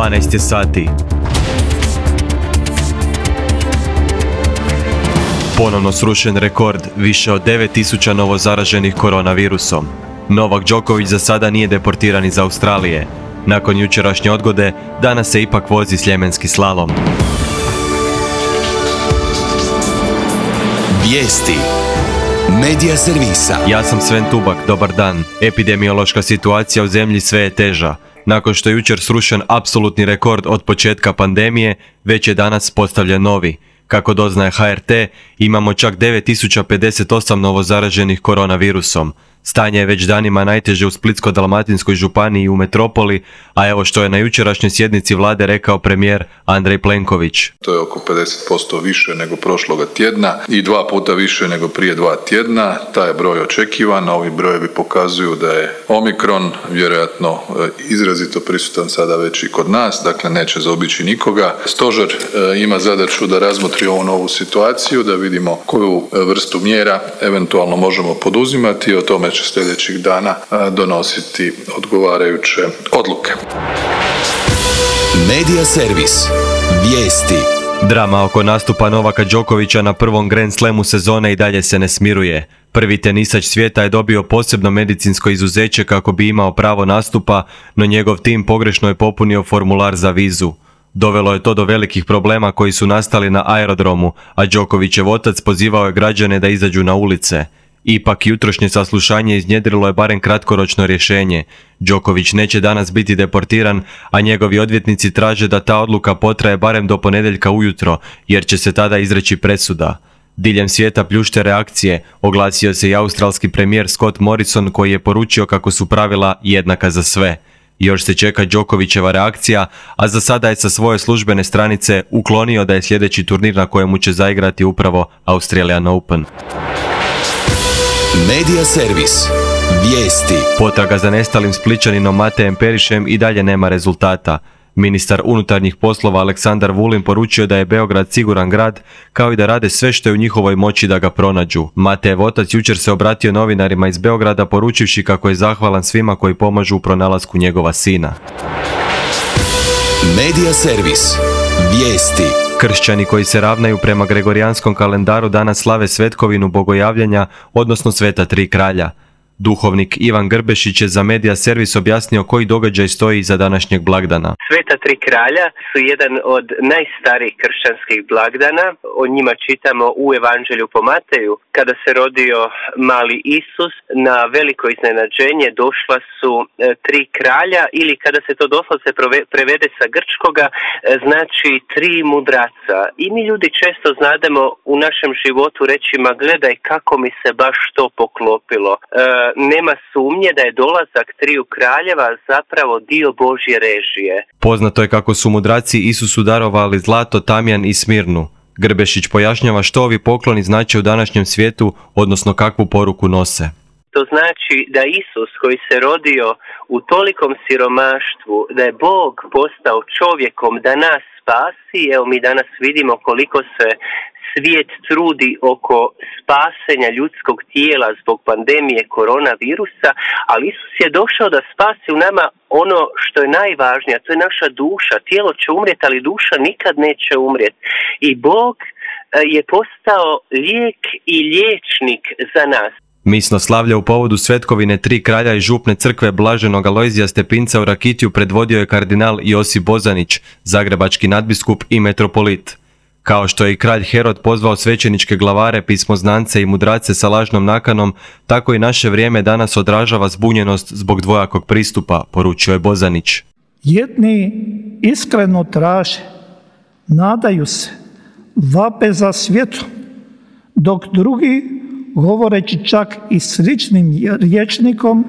12 je sati. Ponovno srušen rekord, više od 9000 novozaraženih koronavirusom. Novak Đoković za sada nije deportiran iz Australije. Nakon jučerašnje odgode, danas se ipak vozi sljemenski slalom. Vijesti Medija servisa. Ja sam Sven Tubak, dobar dan. Epidemiološka situacija u zemlji sve je teža. Nakon što je jučer srušen apsolutni rekord od početka pandemije, već je danas postavljen novi. Kako doznaje HRT, imamo čak 9058 novozaraženih koronavirusom. Stanje je već danima najteže u Splitsko-dalmatinskoj županiji i u metropoli, a evo što je na jučerašnjoj sjednici vlade rekao premijer Andrej Plenković. To je oko 50% više nego prošloga tjedna i 2 puta više nego prije 2 tjedna. Taj je broj očekivan, ovi brojevi pokazuju da je Omikron vjerojatno izrazito prisutan sada već i kod nas, dakle neće zaobići nikoga. Stožer ima zadaću da razmotri ovu novu situaciju, da vidimo koju vrstu mjera eventualno možemo poduzimati, o tome će sljedećih dana donositi odgovarajuće odluke. Medija servis. Vijesti. Drama oko nastupa Novaka Đokovića na prvom Grand Slamu sezone i dalje se ne smiruje. Prvi tenisač svijeta je dobio posebno medicinsko izuzeće kako bi imao pravo nastupa, no njegov tim pogrešno je popunio formular za vizu. Dovelo je to do velikih problema koji su nastali na aerodromu, a Đokovićev otac pozivao je građane da izađu na ulice. Ipak jutrošnje saslušanje iznjedrilo je barem kratkoročno rješenje. Đoković neće danas biti deportiran, a njegovi odvjetnici traže da ta odluka potraje barem do ponedjeljka ujutro, jer će se tada izreći presuda. Diljem svijeta pljušte reakcije, oglasio se i australski premijer Scott Morrison koji je poručio kako su pravila jednaka za sve. Još se čeka Đokovićeva reakcija, a za sada je sa svoje službene stranice uklonio da je sljedeći turnir na kojemu će zaigrati upravo Australian Open. Medija servis. Vijesti. Potraga za nestalim Splićaninom Matejem Perišem i dalje nema rezultata. Ministar unutarnjih poslova Aleksandar Vulin poručio da je Beograd siguran grad, kao i da rade sve što je u njihovoj moći da ga pronađu. Matejev otac jučer se obratio novinarima iz Beograda poručivši kako je zahvalan svima koji pomažu u pronalasku njegova sina. Medija servis. Vijesti. Kršćani koji se ravnaju prema gregorijanskom kalendaru danas slave svetkovinu bogojavljanja, odnosno Sveta tri kralja. Duhovnik Ivan Grbešić je za Medija servis objasnio koji događaj stoji iza današnjeg blagdana. Sveta tri kralja su jedan od najstarijih kršćanskih blagdana. O njima čitamo u Evanđelju po Mateju. Kada se rodio mali Isus, na veliko iznenađenje došla su tri kralja, ili kada se to doslovce prevede sa grčkoga, znači tri mudraca. I mi ljudi često znademo u našem životu reći, ma gledaj kako mi se baš to poklopilo. Nema sumnje da je dolazak triju kraljeva zapravo dio Božje režije. Poznato je kako su mudraci Isusu darovali zlato, tamjan i smirnu. Grbešić pojašnjava što ovi pokloni znače u današnjem svijetu, odnosno kakvu poruku nose. To znači da Isus koji se rodio u tolikom siromaštvu, da je Bog postao čovjekom da nas spasi. Evo mi danas vidimo koliko se svijet trudi oko spasenja ljudskog tijela zbog pandemije koronavirusa, ali Isus je došao da spasi u nama ono što je najvažnije, to je naša duša. Tijelo će umrijeti, ali duša nikad neće umrijeti. I Bog je postao lijek i liječnik za nas. Misno slavlje u povodu svetkovine tri kralja i župne crkve Blaženog Alojzija Stepinca u Rakitiju predvodio je kardinal Josip Bozanić, zagrebački nadbiskup i metropolit. Kao što je i kralj Herod pozvao svećeničke glavare, pismoznance i mudrace sa lažnom nakanom, tako i naše vrijeme danas odražava zbunjenost zbog dvojakog pristupa, poručio je Bozanić. Jedni iskreno traže, nadaju se, vape za svijetom, dok drugi, govoreći čak i sličnim rječnikom,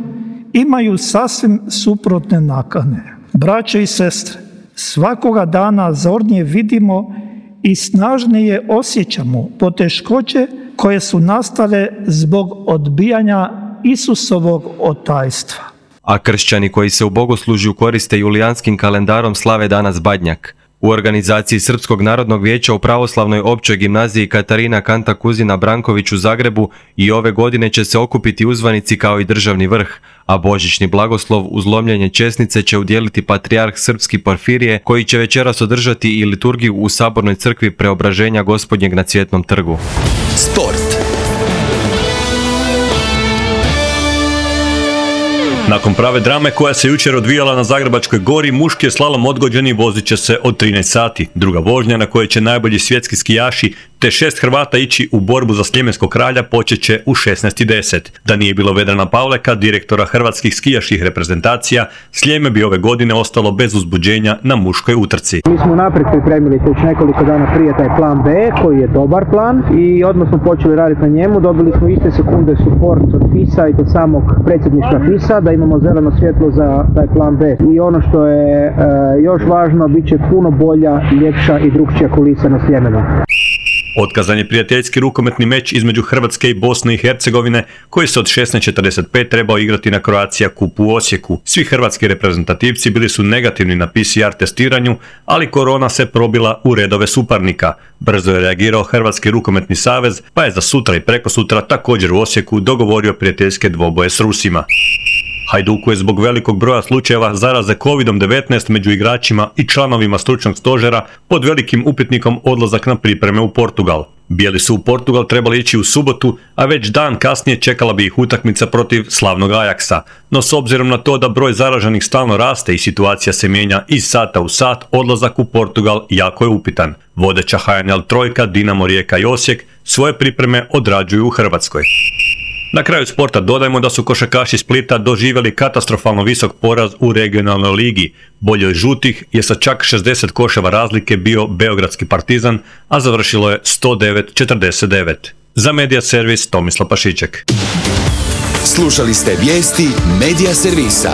imaju sasvim suprotne nakane. Braćo i sestre, svakoga dana zornije vidimo i snažnije osjećamo poteškoće koje su nastale zbog odbijanja Isusovog otajstva. A kršćani koji se u bogoslužju koriste julijanskim kalendarom slave danas Badnjak. U organizaciji Srpskog narodnog vijeća u pravoslavnoj općoj gimnaziji Katarina Kanta Kuzina Branković u Zagrebu i ove godine će se okupiti uzvanici kao i državni vrh, a božićni blagoslov uz lomljenje česnice će udjeliti patrijarh srpski Porfirije, koji će večeras održati i liturgiju u Sabornoj crkvi Preobraženja Gospodnjeg na Cvjetnom trgu. Sport. Nakon prave drame koja se jučer odvijala na Zagrebačkoj gori, muški je slalom odgođen i vozit će se od 13 sati. Druga vožnja na kojoj će najbolji svjetski skijaši te 6 Hrvata ići u borbu za Sljemenskog kralja počet će u 16:10. Da nije bilo Vedrana Pavleka, direktora hrvatskih skijaških reprezentacija, Sljeme bi ove godine ostalo bez uzbuđenja na muškoj utrci. Mi smo naprijed pripremili već nekoliko dana prije taj plan B, koji je dobar plan, i odmah smo počeli raditi na njemu. Dobili smo iste sekunde support od FIS-a i od samog predsjedništva FIS-a da imamo zeleno svjetlo za taj plan B. I ono što je još važno, bit će puno bolja, ljepša i drukčija kulisa na Sljemenu. Otkazan je prijateljski rukometni meč između Hrvatske i Bosne i Hercegovine, koji se od 16:45 trebao igrati na Croatia Cupu u Osijeku. Svi hrvatski reprezentativci bili su negativni na PCR testiranju, ali korona se probila u redove suparnika. Brzo je reagirao Hrvatski rukometni savez, pa je za sutra i prekosutra također u Osijeku dogovorio prijateljske dvoboje s Rusima. Hajduku je zbog velikog broja slučajeva zaraze COVID-19 među igračima i članovima stručnog stožera pod velikim upitnikom odlazak na pripreme u Portugal. Bijeli su u Portugal trebali ići u subotu, a već dan kasnije čekala bi ih utakmica protiv slavnog Ajaksa. No s obzirom na to da broj zaraženih stalno raste i situacija se mijenja iz sata u sat, odlazak u Portugal jako je upitan. Vodeća HNL trojka, Dinamo, Rijeka i Osijek svoje pripreme odrađuju u Hrvatskoj. Na kraju sporta dodajmo da su košarkaši Splita doživjeli katastrofalno visok poraz u regionalnoj ligi. Boljoj žutih je sa čak 60 koševa razlike bio beogradski Partizan, a završilo je 109-49. Za Medija servis Tomislav Pašiček. Slušali ste vijesti Medija servisa.